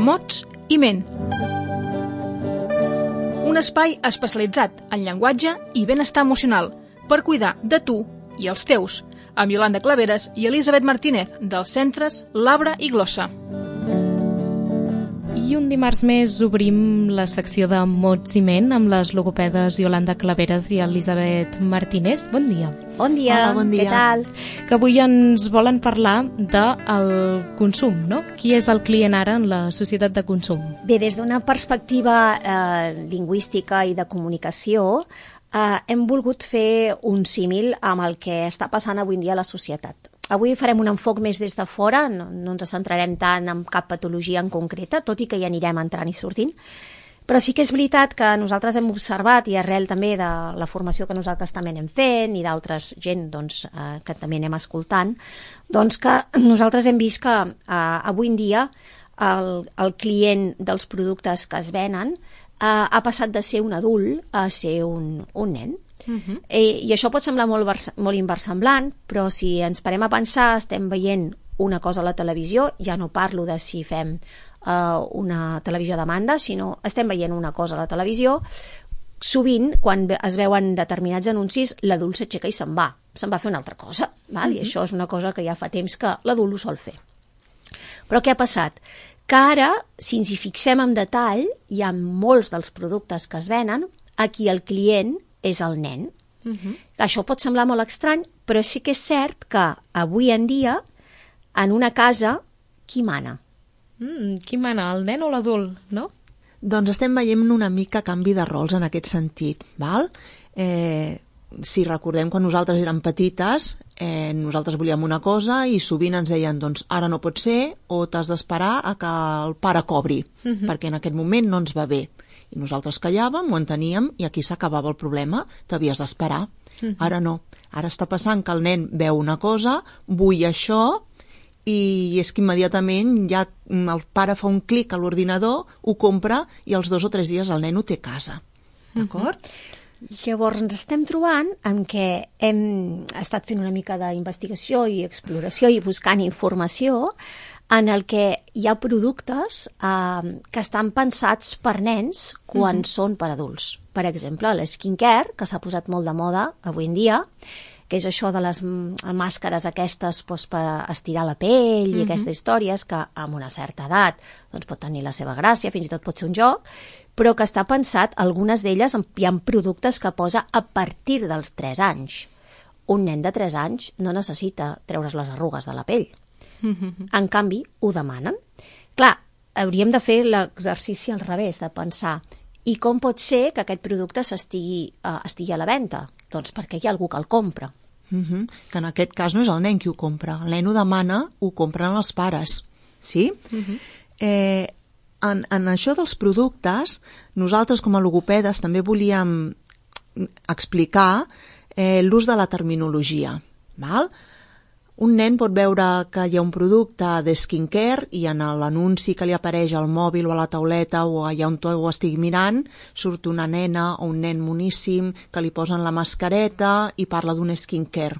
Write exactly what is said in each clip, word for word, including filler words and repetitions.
Mots i Ment. Un espai especialitzat en llenguatge i benestar emocional per cuidar de tu i els teus, amb Iolanda Claveres i Elisabet Martínez, dels centres Labra i Glossa. I un dimarts més obrim la secció de Mots i Ment amb les logopedes Iolanda Claveres i Elisabet Martínez. Bon dia. Bon dia. Hola, bon dia. Què tal? Que avui ens volen parlar del consum, no? Qui és el client ara en la societat de consum? Bé, des d'una perspectiva eh, lingüística i de comunicació, eh, hem volgut fer un símil amb el que està passant avui en dia a la societat. Avui farem un enfoc més des de fora, no, no ens centrarem tant en cap patologia en concreta, tot i que hi anirem entrant i sortint, però sí que és veritat que nosaltres hem observat, i arrel també de la formació que nosaltres també anem fent i d'altres gent doncs, eh, que també anem escoltant, doncs que nosaltres hem vist que eh, avui en dia el, el client dels productes que es venen eh, ha passat de ser un adult a ser un, un nen. Uh-huh. I, I això pot semblar molt, molt inversemblant, però si ens parem a pensar, estem veient una cosa a la televisió, ja no parlo de si fem uh, una televisió a demanda, sinó estem veient una cosa a la televisió, sovint, quan es veuen determinats anuncis, l'adult s'aixeca i se'n va, se'n va a fer una altra cosa, val? Uh-huh. I això és una cosa que ja fa temps que l'adult ho sol fer. Però què ha passat? Que ara, si ens hi fixem en detall, hi ha molts dels productes que es venen a qui el client és el nen. Uh-huh. Això pot semblar molt estrany, però sí que és cert que avui en dia, en una casa, qui mana? Mm, qui mana, el nen o l'adult, no? Doncs estem veient una mica canvi de rols en aquest sentit, val? Eh, si recordem quan nosaltres érem petites, eh, nosaltres volíem una cosa i sovint ens deien, doncs ara no pot ser o t'has d'esperar a que el pare cobri, uh-huh. perquè en aquest moment no ens va bé. I nosaltres callàvem, ho enteníem, i aquí s'acabava el problema, t'havies d'esperar. Uh-huh. Ara no. Ara està passant que el nen veu una cosa, vull això, i és que immediatament ja el pare fa un clic a l'ordinador, ho compra, i als dos o tres dies el nen ho té a casa. D'acord? Uh-huh. Llavors ens estem trobant en què hem estat fent una mica d'investigació i exploració i buscant informació en el que hi ha productes eh, que estan pensats per nens quan uh-huh. són per adults. Per exemple, l'skincare, que s'ha posat molt de moda avui en dia, que és això de les màscares aquestes doncs, per estirar la pell i uh-huh. aquestes històries que amb una certa edat doncs, pot tenir la seva gràcia, fins i tot pot ser un joc, però que està pensat, algunes d'elles hi ha productes que posa a partir dels tres anys. Un nen de tres anys no necessita treure's les arrugues de la pell. En canvi, ho demanen. Clar, hauríem de fer l'exercici al revés, de pensar i com pot ser que aquest producte s'estigui, uh, estigui a la venda? Doncs perquè hi ha algú que el compra. Uh-huh. Que en aquest cas no és el nen qui ho compra. El nen ho demana, ho compren els pares. Sí? Uh-huh. Eh, en, en això dels productes, nosaltres com a logopedes també volíem explicar eh, l'ús de la terminologia. Val? Un nen pot veure que hi ha un producte de skincare i en l'anunci que li apareix al mòbil o a la tauleta o allà on tu ho estigui mirant surt una nena o un nen moníssim que li posen la mascareta i parla d'un skincare.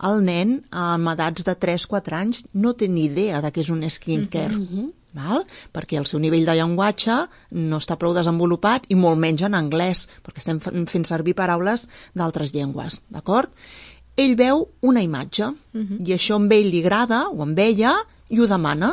El nen, amb edats de tres a quatre anys, no té ni idea de què és un skincare, mm-hmm. val? Perquè el seu nivell de llenguatge no està prou desenvolupat i molt menys en anglès, perquè estem fent servir paraules d'altres llengües, d'acord? Ell veu una imatge uh-huh. i això amb ell li agrada o amb ella i ho demana.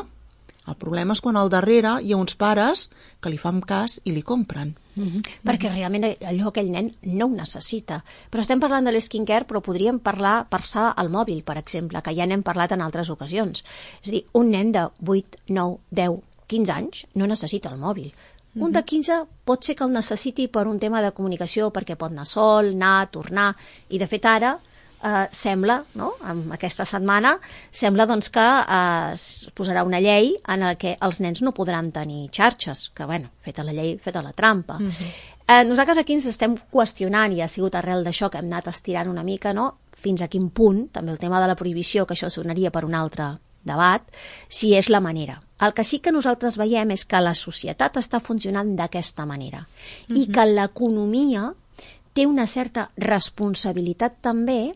El problema és quan al darrere hi ha uns pares que li fan cas i li compren. Uh-huh. Perquè realment allò aquell nen no ho necessita. Però estem parlant de l'skincare, però podríem parlar, passar al mòbil, per exemple, que ja n'hem parlat en altres ocasions. És a dir, un nen de vuit, nou, deu, quinze anys no necessita el mòbil. Uh-huh. Un de quinze pot ser que el necessiti per un tema de comunicació, perquè pot anar sol, anar, tornar, i de fet ara Uh, sembla, no? En aquesta setmana, sembla doncs, que uh, es posarà una llei en la que els nens no podran tenir xarxes, que, bueno, feta la llei, feta la trampa. Uh-huh. uh, nosaltres aquí ens estem qüestionant, i ha sigut arrel d'això que hem anat estirant una mica, no? Fins a quin punt, també el tema de la prohibició, que això sonaria per un altre debat, si és la manera. El que sí que nosaltres veiem és que la societat està funcionant d'aquesta manera uh-huh. i que l'economia té una certa responsabilitat també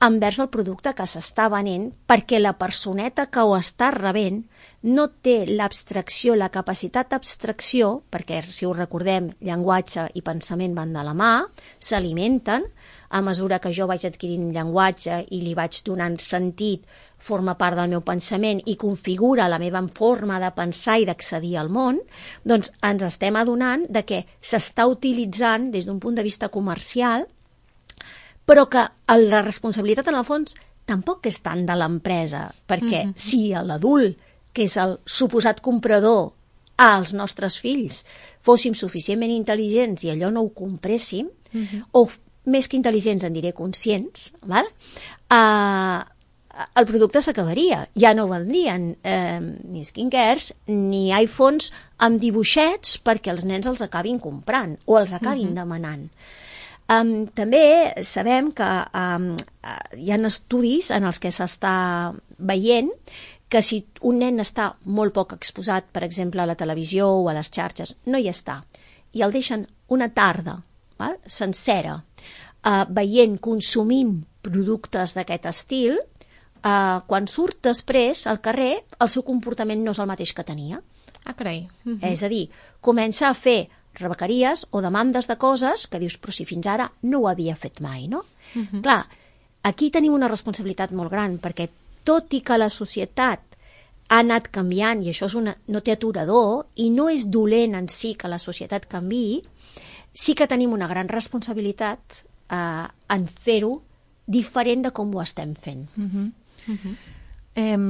envers el producte que s'està venent, perquè la personeta que ho està rebent no té l'abstracció, la capacitat d'abstracció, perquè si ho recordem, llenguatge i pensament van de la mà, s'alimenten, a mesura que jo vaig adquirint llenguatge i li vaig donant sentit, forma part del meu pensament i configura la meva forma de pensar i d'accedir al món, doncs ens estem adonant de que s'està utilitzant des d'un punt de vista comercial, però que la responsabilitat en el fons tampoc és tant de l'empresa, perquè mm-hmm. si l'adult, que és el suposat comprador, als nostres fills, fóssim suficientment intel·ligents i allò no ho compréssim, mm-hmm. o més que intel·ligents en diré conscients, val? Uh, el producte s'acabaria. Ja no vendrien eh, ni skincares ni iPhones amb dibuixets perquè els nens els acabin comprant o els acabin uh-huh. demanant. Um, també sabem que um, hi ha estudis en els que s'està veient que si un nen està molt poc exposat, per exemple, a la televisió o a les xarxes, no hi està, i el deixen una tarda, val? sencera, uh, veient, consumint productes d'aquest estil, uh, quan surt després al carrer, el seu comportament no és el mateix que tenia. Ah, carai. Uh-huh. És a dir, comença a fer rebequeries o demandes de coses que dius, però si fins ara no ho havia fet mai, no? Uh-huh. Clar, aquí tenim una responsabilitat molt gran, perquè tot i que la societat ha anat canviant, i això és una, no té aturador, i no és dolent en si que la societat canviï, sí que tenim una gran responsabilitat eh, en fer-ho diferent de com ho estem fent. Uh-huh. Uh-huh. Hem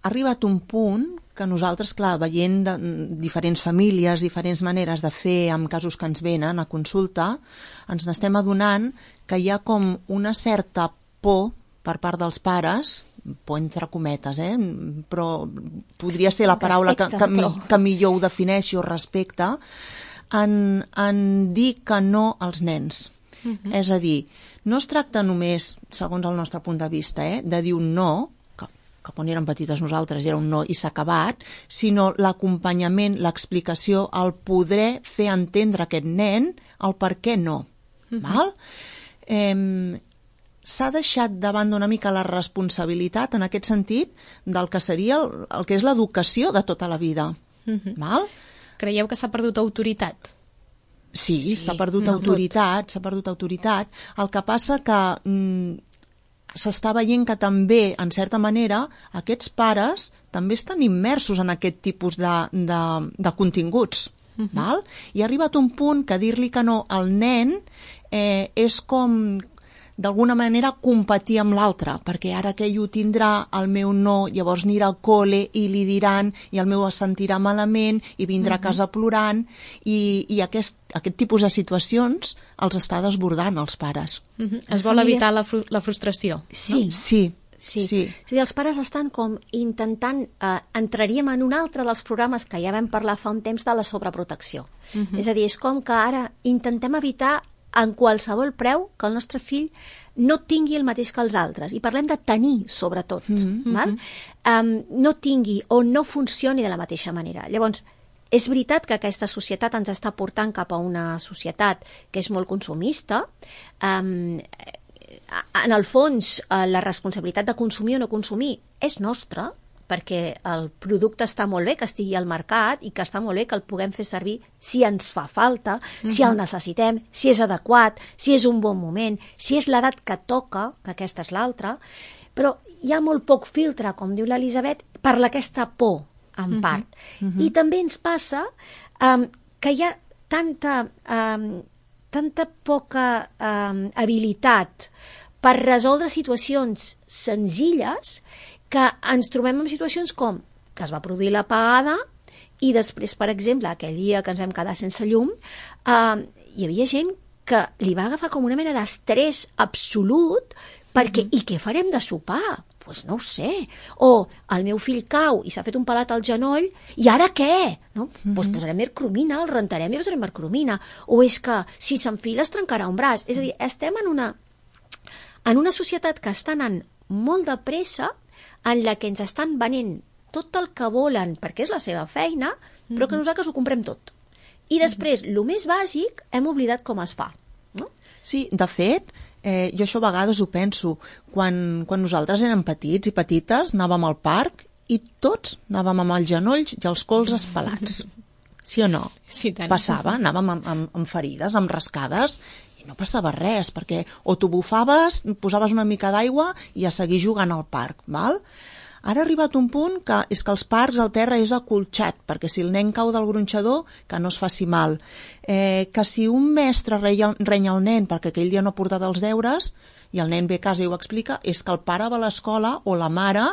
arribat un punt que nosaltres, clar, veient de, diferents famílies, diferents maneres de fer amb casos que ens venen a consulta, ens n'estem adonant que hi ha com una certa por per part dels pares, por entre cometes, eh? Però podria ser la paraula respecte, que, que, mi, que millor ho defineixi o respecte, en, en dir que no als nens. Uh-huh. És a dir, no es tracta només, segons el nostre punt de vista, eh, de dir un no, que, que quan érem petites nosaltres era un no i s'ha acabat, sinó l'acompanyament, l'explicació, el poder fer entendre a aquest nen el per què no. Uh-huh. Val? Eh, s'ha deixat de banda una mica la responsabilitat en aquest sentit del que seria el, el que és l'educació de tota la vida. Uh-huh. Val? Creieu que s'ha perdut autoritat? Sí, sí, s'ha perdut no autoritat, s'ha perdut autoritat. El que passa que mm, s'està veient que també, en certa manera, aquests pares també estan immersos en aquest tipus de, de, de continguts. Uh-huh. Val? I ha arribat un punt que dir-li que no al nen eh, és com d'alguna manera competir amb l'altre, perquè ara que ell ho tindrà, el meu no, llavors anirà al col·le i li diran, i el meu es sentirà malament i vindrà uh-huh. a casa plorant, i, i aquest, aquest tipus de situacions els està desbordant els pares. Uh-huh. Es vol evitar la, fru la frustració. Sí. No? Sí. Sí. sí. És a dir, els pares estan com intentant, eh, entraríem en un altre dels programes que ja vam parlar fa un temps de la sobreprotecció. Uh-huh. És a dir, és com que ara intentem evitar en qualsevol preu que el nostre fill no tingui el mateix que els altres. I parlem de tenir, sobretot. Mm-hmm. Val? Um, no tingui o no funcioni de la mateixa manera. Llavors, és veritat que aquesta societat ens està portant cap a una societat que és molt consumista. Um, en el fons, la responsabilitat de consumir o no consumir és nostra, perquè el producte està molt bé que estigui al mercat i que està molt bé que el puguem fer servir si ens fa falta, uh-huh. si el necessitem, si és adequat, si és un bon moment, si és l'edat que toca, que aquesta és l'altra, però hi ha molt poc filtre, com diu l'Elisabet, per aquesta por, en uh-huh. part. Uh-huh. I també ens passa um, que hi ha tanta, um, tanta poca um, habilitat per resoldre situacions senzilles que ens trobem en situacions com que es va produir l'apagada i després, per exemple, aquell dia que ens vam quedar sense llum, eh, hi havia gent que li va agafar com una mena d'estrès absolut perquè, mm-hmm. i què farem de sopar? Doncs pues no ho sé. O el meu fill cau i s'ha fet un pelat al genoll i ara què? No? Mm-hmm. Pues posarem mercromina, el rentarem i posarem mercromina. O és que si s'enfila es trencarà un braç. És a dir, estem en una, en una societat que està anant molt de pressa en la que ens estan venent tot el que volen perquè és la seva feina, però que nosaltres ho comprem tot. I després, el més bàsic, hem oblidat com es fa. No? Sí, de fet, Eh, jo això a vegades ho penso. Quan, quan nosaltres érem petits i petites, anàvem al parc i tots anàvem amb els genolls i els colzes pelats. Sí o no? Sí, tant. Passava, anàvem amb, amb, amb ferides, amb rascades, i no passava res, perquè o t'ho bufaves, posaves una mica d'aigua i a seguir jugant al parc, val? Ara ha arribat un punt que és que els parcs el terra és acolxat, perquè si el nen cau del gronxador, que no es faci mal. Eh, que si un mestre renya, renya el nen perquè aquell dia no ha portat els deures, i el nen ve a casa i ho explica, és que el pare va a l'escola o la mare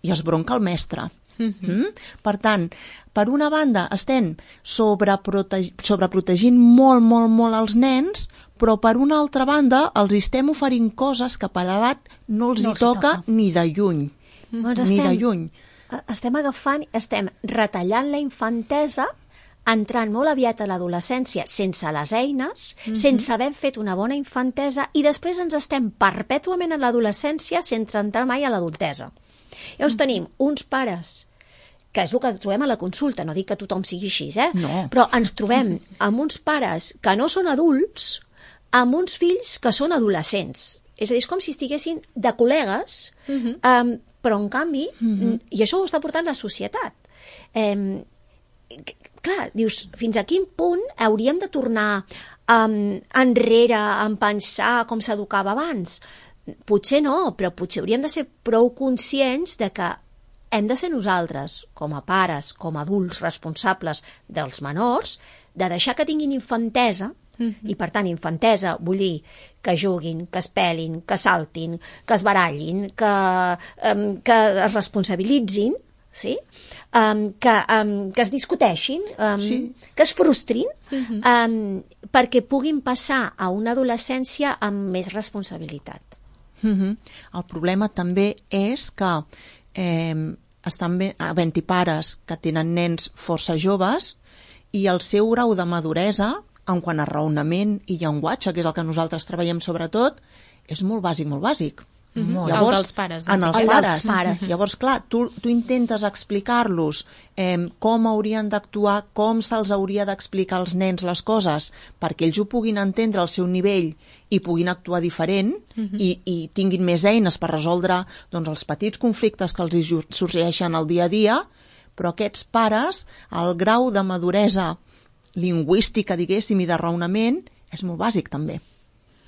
i es bronca el mestre. Mm-hmm. Mm? Per tant, per una banda estem sobreproteg... sobreprotegint molt, molt, molt els nens, però per una altra banda els estem oferint coses que per l'edat no els no hi toca, toca ni de lluny. Doncs ni estem, de lluny. Estem agafant, estem retallant la infantesa, entrant molt aviat a l'adolescència sense les eines, mm-hmm. sense haver fet una bona infantesa, i després ens estem perpètuament en l'adolescència sense entrar mai a l'adultesa. Llavors mm-hmm. tenim uns pares, que és el que trobem a la consulta, no dic que tothom sigui així, eh? No. Però ens trobem amb uns pares que no són adults, amb uns fills que són adolescents. És a dir, és com si estiguessin de col·legues, mm-hmm. um, però en canvi, mm-hmm. i això ho està portant la societat. Eh, clar, dius, fins a quin punt hauríem de tornar um, enrere en pensar com s'educava abans? Potser no, però potser hauríem de ser prou conscients de que hem de ser nosaltres, com a pares, com a adults responsables dels menors, de deixar que tinguin infantesa. Mm-hmm. I per tant, infantesa vull dir que juguin, que es pelin, que saltin, que es barallin, que, um, que es responsabilitzin, sí? um, que, um, que es discuteixin, um, sí. que es frustrin, mm-hmm. um, perquè puguin passar a una adolescència amb més responsabilitat. Mm-hmm. El problema també és que eh, estan havent-hi pares que tenen nens força joves i el seu grau de maduresa en quant a raonament i llenguatge, que és el que nosaltres treballem sobretot, és molt bàsic, molt bàsic. Mm-hmm. Llavors, el dels pares. En els el pares. dels pares. Llavors, clar, tu, tu intentes explicar-los eh, com haurien d'actuar, com se'ls hauria d'explicar als nens les coses, perquè ells ho puguin entendre al seu nivell i puguin actuar diferent, mm-hmm. i, i tinguin més eines per resoldre doncs, els petits conflictes que els hi sorgeixen al dia a dia, però aquests pares, el grau de maduresa lingüística, diguéssim, i de raonament, és molt bàsic, també.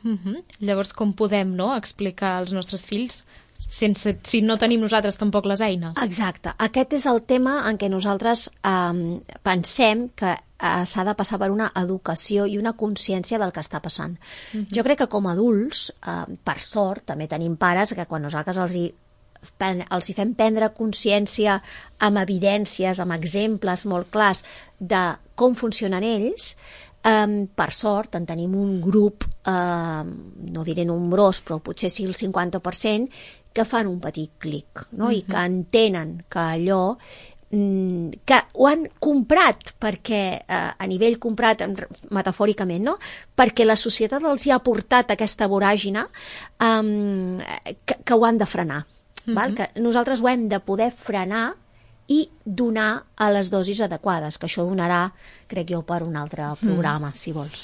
Mm-hmm. Llavors, com podem, no?, explicar als nostres fills sense, si no tenim nosaltres tampoc les eines? Exacte. Aquest és el tema en què nosaltres eh, pensem que eh, s'ha de passar per una educació i una consciència del que està passant. Mm-hmm. Jo crec que com a adults, eh, per sort, també tenim pares que quan nosaltres els hi els hi fem prendre consciència amb evidències, amb exemples molt clars de com funcionen ells, um, per sort en tenim un grup, uh, no diré nombrós, però potser sí el cinquanta per cent, que fan un petit clic, no? Mm-hmm. I que entenen que allò que ho han comprat perquè eh, a nivell comprat metafòricament, no? Perquè la societat els hi ha portat aquesta voràgina um, que, que ho han de frenar. Mm-hmm. Val? Que nosaltres ho hem de poder frenar i donar a les dosis adequades, que això donarà, crec jo, per un altre programa, mm. si vols.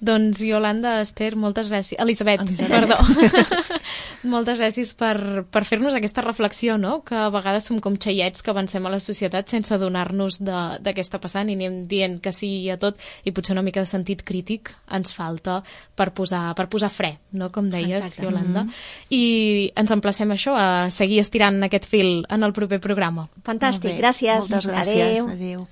Doncs Iolanda, Esther, moltes gràcies. Elisabet, Elisabet. perdó. Moltes gràcies per, per fer-nos aquesta reflexió, no?, que a vegades som com xaiets que avancem a la societat sense adonar-nos de, de què està passant i anem dient que sí a tot, i potser una mica de sentit crític ens falta per posar, per posar fre, no?, com deies, exacte. Iolanda. Mm-hmm. I ens emplacem a això, a seguir estirant aquest fil en el proper programa. Fantàstic, gràcies. Moltes gràcies. Adéu. Adéu.